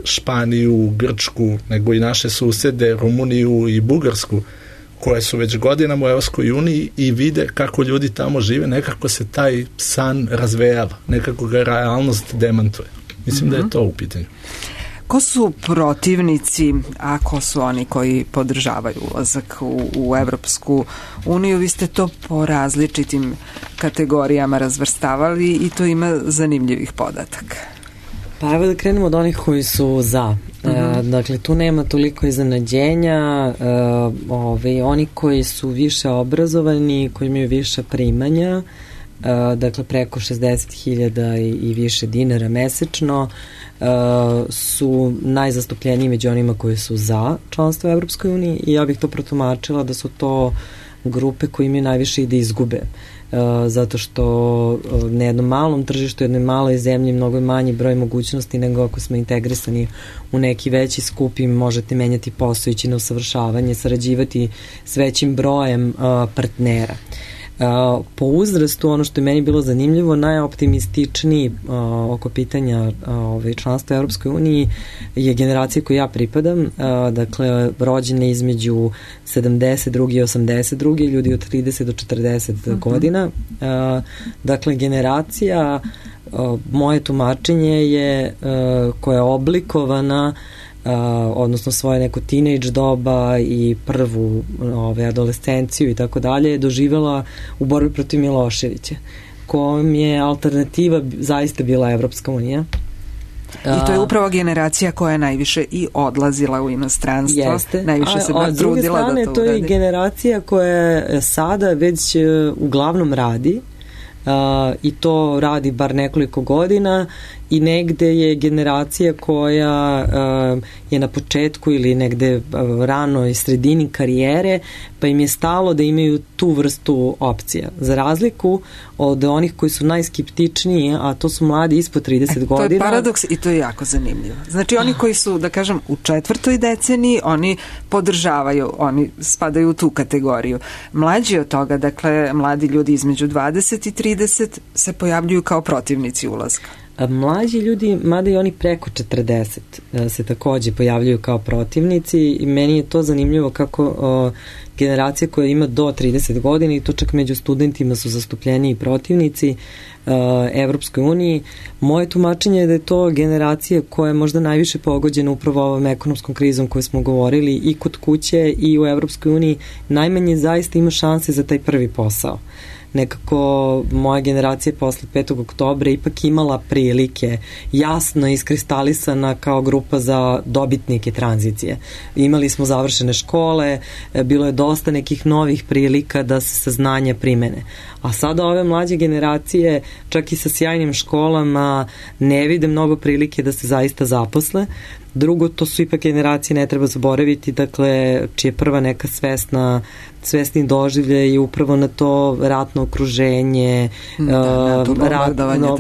Španiju, Grčku, nego i naše susede, Rumuniju i Bugarsku, koje su već godinama u Evropskoj uniji i vide kako ljudi tamo žive, nekako se taj san razvejava, nekako ga realnost demantuje. Mislim da je to u pitanju. Ko su protivnici, a ko su oni koji podržavaju ulazak u Evropsku uniju? Vi ste to po različitim kategorijama razvrstavali i to ima zanimljivih podataka. Pa evo da krenemo od onih koji su za. Dakle, tu nema toliko iznenađenja. Oni koji su više obrazovani, koji imaju više primanja, dakle preko 60.000 i više dinara mesečno, su najzastupljeniji među onima koji su za članstvo u Evropskoj uniji i ja bih to protumačila da su to grupe koji imaju najviše i da izgube. Zato što na jednom malom tržištu, jednoj maloj zemlji mnogo je manji broj mogućnosti nego ako smo integrisani u neki veći skup i možete menjati posao, ići na usavršavanje, sarađivati s većim brojem partnera. Po uzrastu, ono što je meni bilo zanimljivo, najoptimističniji oko pitanja članstva u Europskoj uniji je generacija koju ja pripadam, dakle rođene između 72. i 82. ljudi od 30 do 40 godina. Dakle, generacija, moje tumačenje je koja je oblikovana odnosno svoje neko teenage doba i prvu adolescenciju i tako dalje, doživjela u borbi protiv Miloševića, kojom je alternativa zaista bila Evropska unija. I to je upravo generacija koja je najviše i odlazila u inostranstvo. Jeste. Najviše se trudila da to uradi. A s druge strane, to je generacija koja sada već uglavnom radi i to radi bar nekoliko godina i negde je generacija koja je na početku ili negde rano i sredini karijere, pa im je stalo da imaju tu vrstu opcija. Za razliku od onih koji su najskeptičniji, a to su mladi ispod 30 godina. To je paradoks i to je jako zanimljivo. Znači oni koji su, da kažem, u 4. deceniji, oni podržavaju, oni spadaju u tu kategoriju. Mlađi od toga, dakle, mladi ljudi između 20 i 30 se pojavljuju kao protivnici ulaska. Mlađi ljudi, mada i oni preko 40 se takođe pojavljuju kao protivnici i meni je to zanimljivo kako generacija koja ima do 30 godina i to čak među studentima su zastupljeni protivnici Evropskoj uniji. Moje tumačenje je da je to generacija koja je možda najviše pogođena upravo ovom ekonomskom krizom koju smo govorili i kod kuće i u Evropskoj uniji. Najmanje zaista ima šanse za taj prvi posao. Nekako moja generacija posle 5. oktobra ipak imala prilike jasno iskristalisana kao grupa za dobitnike tranzicije. Imali smo završene škole, bilo je dosta nekih novih prilika da se saznanja primene. A sada ove mlađe generacije, čak i sa sjajnim školama, ne vide mnogo prilike da se zaista zaposle. Drugo, to su ipak generacije, ne treba zaboraviti, dakle, čije prva neka svesni doživlje i upravo na to ratno okruženje,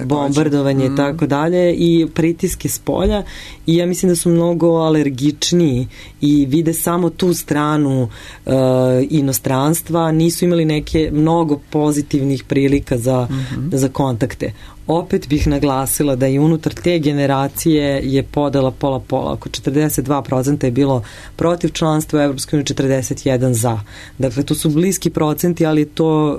bombardovanje i tako dalje i pritiske s polja i ja mislim da su mnogo alergičniji i vide samo tu stranu inostranstva, nisu imali neke mnogo pozitivnih prilika za kontakte. Opet bih naglasila da i unutar te generacije je podela pola-pola. Oko 42% je bilo protiv članstva u Evropskoj uniji, 41% za. Dakle, to su bliski procenti, ali to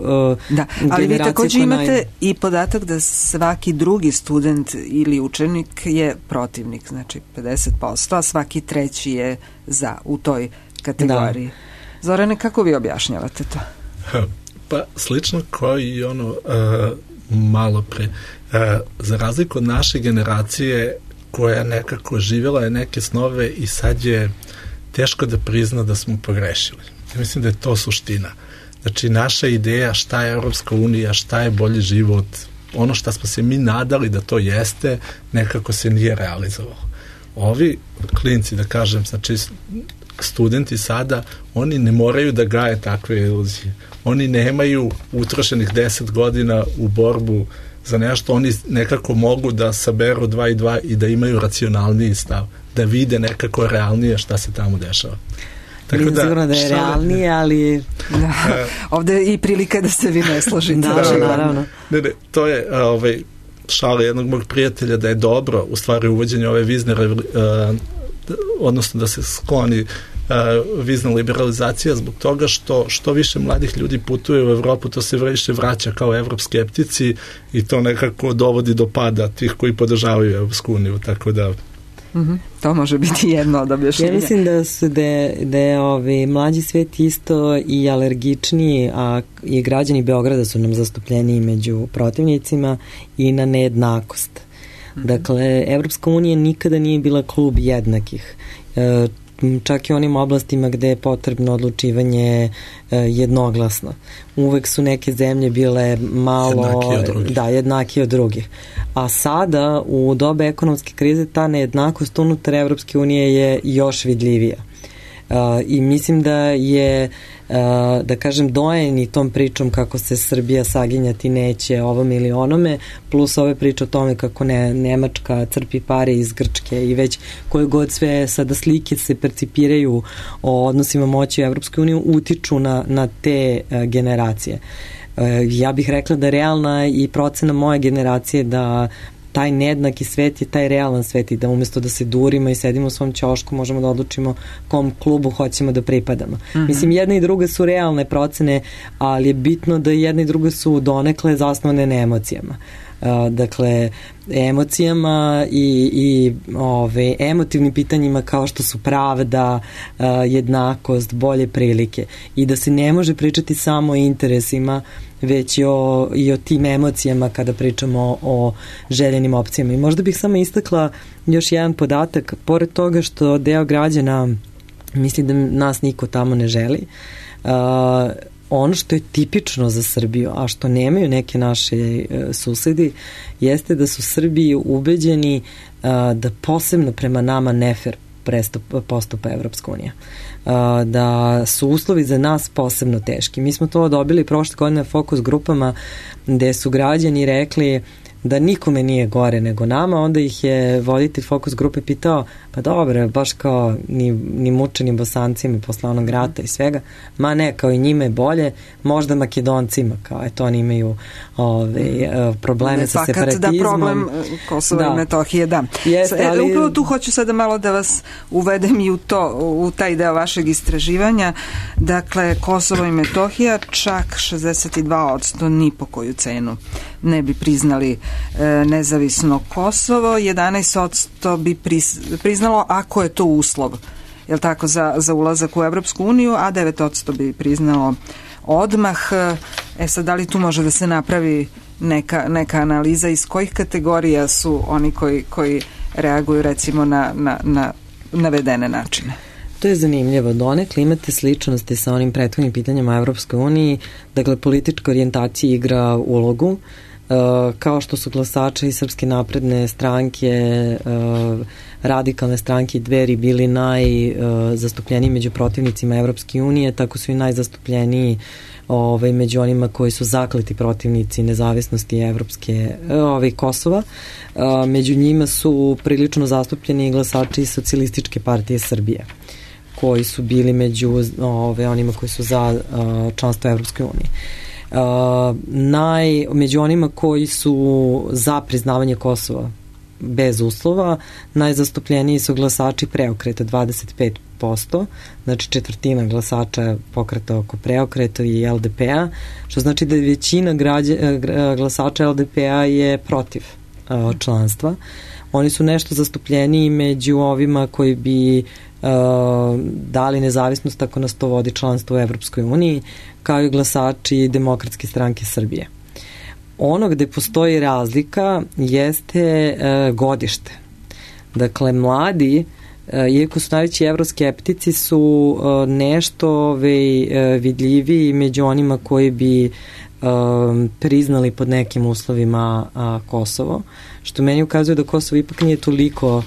ali vi takođe imate i podatak da svaki drugi student ili učenik je protivnik, znači 50%, a svaki treći je za u toj kategoriji. Zorane, kako vi objašnjavate to? Pa slično kao i malo pre. Za razliku od naše generacije koja nekako živjela je neke snove i sad je teško da prizna da smo pogrešili. Ja mislim da je to suština. Znači, naša ideja šta je Evropska unija, šta je bolji život, ono što smo se mi nadali da to jeste, nekako se nije realizovalo. Ovi klinci, da kažem, znači studenti sada, oni ne moraju da gaje takve iluzije. Oni nemaju utrošenih 10 godina u borbu za nešto, oni nekako mogu da saberu 2 i 2 i da imaju racionalniji stav, da vide nekako realnije šta se tamo dešava. Tako da, sigurno da je realnije, ali... Ovde je i prilika da se vi ne složite. Naravno. Ne, to je šala jednog mog prijatelja da je dobro u stvari uvođenje ove vizne odnosno da se skloni vizna liberalizacija zbog toga što više mladih ljudi putuje u Evropu, to se više vraća kao evropskeptici i to nekako dovodi do pada tih koji podržavaju Evropsku uniju, tako da to može biti jedno od objašnjenja. Ja mislim da je mlađi svet isto i alergičniji, a i građani Beograda su nam zastupljeni među protivnicima i na nejednakost. Dakle, Evropska unija nikada nije bila klub jednakih. Čak i u onim oblastima gde je potrebno odlučivanje jednoglasno. Uvek su neke zemlje bile malo jednakije od drugih. A sada, u doba ekonomske krize, ta nejednakost unutar Evropske unije je još vidljivija. I mislim da je, da kažem, dojeni tom pričom kako se Srbija saginjati neće ovom ili onome, plus ove priče o tome kako Nemačka crpi pare iz Grčke i već koje god sve sada slike se percipiraju o odnosima moći u Evropskoj uniji utiču na te generacije. Ja bih rekla da je realna i procena moje generacije da taj nejednaki svet je taj realan svet i da umjesto da se durimo i sedimo u svom ćošku možemo da odlučimo kom klubu hoćemo da pripadamo. Mislim, jedna i druga su realne procene, ali je bitno da jedna i druga su donekle zasnovane na emocijama. Dakle, emocijama i emotivnim pitanjima kao što su pravda, jednakost, bolje prilike i da se ne može pričati samo o interesima, već i o tim emocijama kada pričamo o željenim opcijama. I možda bih samo istakla još jedan podatak, pored toga što deo građana misli da nas niko tamo ne želi, ono što je tipično za Srbiju, a što nemaju neke naše susedi, jeste da su Srbiji ubeđeni da posebno prema nama nefer postupa Evropska unija. Da su uslovi za nas posebno teški. Mi smo to dobili prošle godine fokus grupama gde su građani rekli da nikome nije gore nego nama, onda ih je voditelj fokus grupe pitao, pa dobro, baš kao ni mučenim Bosancima posle onog rata i svega, ma ne, kao i njima je bolje, možda Makedoncima, kao eto oni imaju probleme sa separatizmom. Da, problem Kosova i Metohije, da. Jeste, ali... Upravo tu hoću sada malo da vas uvedem i u taj deo vašeg istraživanja. Dakle, Kosovo i Metohija čak 62% ni po koju cenu ne bi priznali nezavisno Kosovo, 11% bi priznalo ako je to uslov, je li tako, za ulazak u Evropsku uniju, a 9% bi priznalo odmah. Sad, da li tu može da se napravi neka analiza iz kojih kategorija su oni koji reaguju recimo na navedene načine? To je zanimljivo. Donekle imate sličnosti sa onim prethodnim pitanjima o Evropskoj uniji. Dakle, politička orijentacija igra ulogu. Kao što su glasači Srpske napredne stranke, radikalne stranke i Dveri bili najzastupljeniji među protivnicima Evropske unije, tako su i najzastupljeniji među onima koji su zakleti protivnici nezavisnosti Kosova. Među njima su prilično zastupljeni glasači Socijalističke partije Srbije, koji su bili među onima koji su za članstvo Evropske unije. Među onima koji su za priznavanje Kosova bez uslova, najzastupljeniji su glasači Preokreta 25%, znači četvrtina glasača pokreta oko Preokreta i LDP-a, što znači da je većina glasača LDP-a je protiv članstva. Oni su nešto zastupljeniji među ovima koji bi dali nezavisnost ako nas to vodi članstvo u Evropskoj uniji, kao i glasači Demokratske stranke Srbije. Ono gde postoji razlika jeste godište. Dakle, mladi, iako su najveći evroskeptici, su nešto vidljiviji među onima koji bi priznali pod nekim uslovima Kosovo, što meni ukazuje da Kosovo ipak nije toliko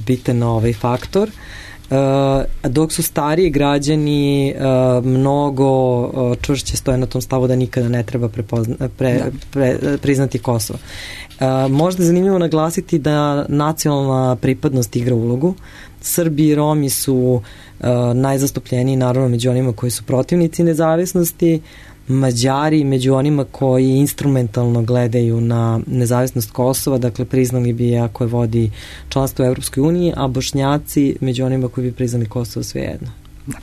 bitan faktor, dok su stariji građani mnogo čvršće stoje na tom stavu da nikada ne treba priznati Kosovo. Možda je zanimljivo naglasiti da nacionalna pripadnost igra ulogu. Srbi i Romi su najzastupljeniji naravno među onima koji su protivnici nezavisnosti, Mađari među onima koji instrumentalno gledaju na nezavisnost Kosova, dakle priznali bi ako je vodi članstvo u Evropskoj uniji, a Bošnjaci među onima koji bi priznali Kosovo svejedno. Da.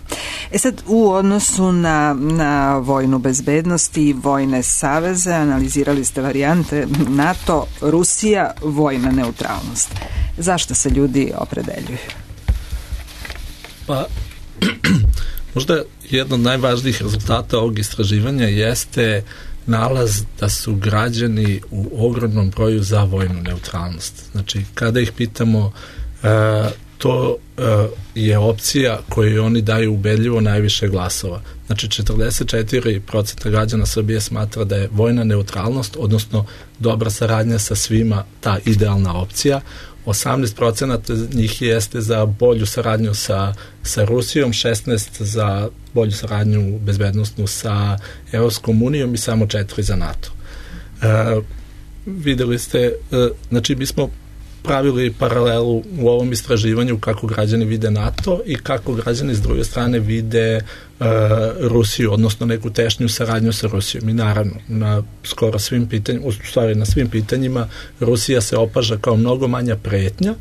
Sad, u odnosu na vojnu bezbednost i vojne saveze analizirali ste varijante NATO, Rusija, vojna neutralnost. Zašto se ljudi opredeljuju? Pa, možda jedan od najvažnijih rezultata ovog istraživanja jeste nalaz da su građani u ogromnom broju za vojnu neutralnost. Znači, kada ih pitamo, to je opcija koju oni daju ubedljivo najviše glasova. Znači, 44% građana Srbije smatra da je vojna neutralnost, odnosno dobra saradnja sa svima, ta idealna opcija. 18% njih jeste za bolju saradnju sa Rusijom, 16% za bolju saradnju bezbednostnu sa Evropskom unijom i samo 4% za NATO. Videli ste, znači mi smo pravili paralelu u ovom istraživanju kako građani vide NATO i kako građani s druge strane vide Rusiju, odnosno neku tešnju saradnju sa Rusijom. I naravno, na skoro svim pitanjima, u stvari na svim pitanjima, Rusija se opaža kao mnogo manja pretnja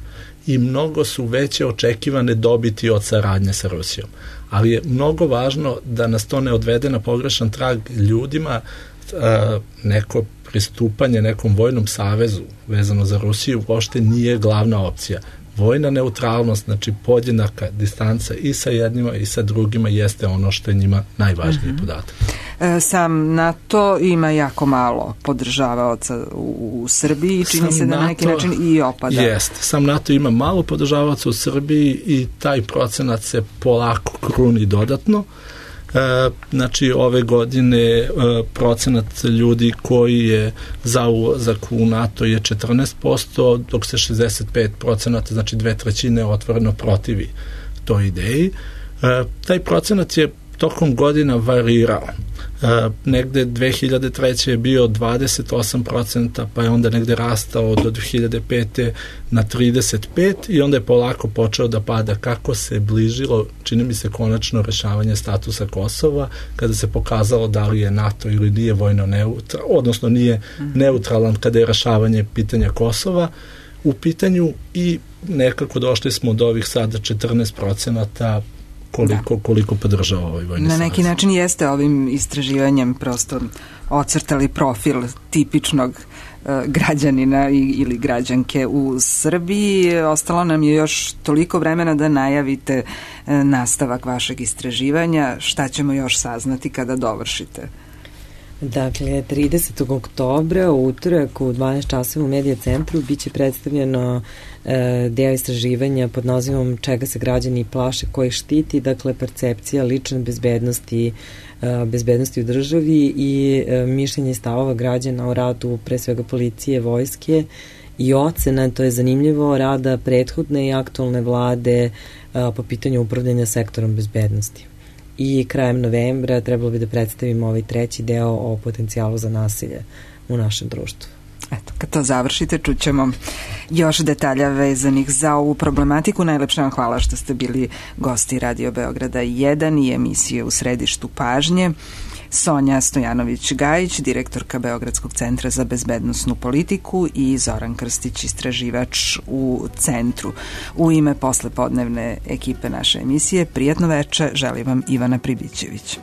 i mnogo su veće očekivane dobiti od saradnje sa Rusijom. Ali je mnogo važno da nas to ne odvede na pogrešan trag ljudima. Neko pristupanje nekom vojnom savezu vezano za Rusiju uopšte nije glavna opcija. Vojna neutralnost, znači podjednaka distanca i sa jednima i sa drugima jeste ono što je njima najvažniji podatak. Sam NATO ima jako malo podržavaoca u Srbiji i čini se da na neki način i opada. Jeste, sam NATO ima malo podržavaoca u Srbiji i taj procenat se polako kruni dodatno. Znači ove godine procenat ljudi koji je za ulazak u NATO je 14%, dok se 65%, znači 2/3 otvoreno protivi toj ideji. Taj procenat je tokom godina varirao. Negde 2003. je bio 28%, pa je onda negde rastao do 2005. na 35% i onda je polako počeo da pada kako se bližilo, čini mi se, konačno rešavanje statusa Kosova, kada se pokazalo da li je NATO ili nije vojno neutralan, odnosno nije neutralan kada je rešavanje pitanja Kosova u pitanju i nekako došli smo do ovih sada 14% koliko podržava ovaj vojni savez. Na neki način jeste ovim istraživanjem prosto ocrtali profil tipičnog građanina ili građanke u Srbiji. Ostalo nam je još toliko vremena da najavite nastavak vašeg istraživanja. Šta ćemo još saznati kada dovršite? Dakle, 30. oktobra u utorak u 12 časova u Medija centru biće predstavljeno deo istraživanja pod nazivom Čega se građani plaše, ko ih štiti, dakle percepcija lične bezbednosti u državi i mišljenje i stavova građana o radu pre svega policije, vojske i ocena, to je zanimljivo, rada prethodne i aktualne vlade po pitanju upravljanja sektorom bezbednosti. I krajem novembra trebalo bi da predstavimo ovaj treći deo o potencijalu za nasilje u našem društvu. Eto, kad to završite, čućemo još detalja vezanih za ovu problematiku. Najlepše vam hvala što ste bili gosti Radio Beograda 1 i emisije U središtu pažnje. Sonja Stojanović-Gajić, direktorka Beogradskog centra za bezbednosnu politiku i Zoran Krstić, istraživač u centru. U ime poslepodnevne ekipe naše emisije, prijatno veče, želim vam Ivana Pribićević.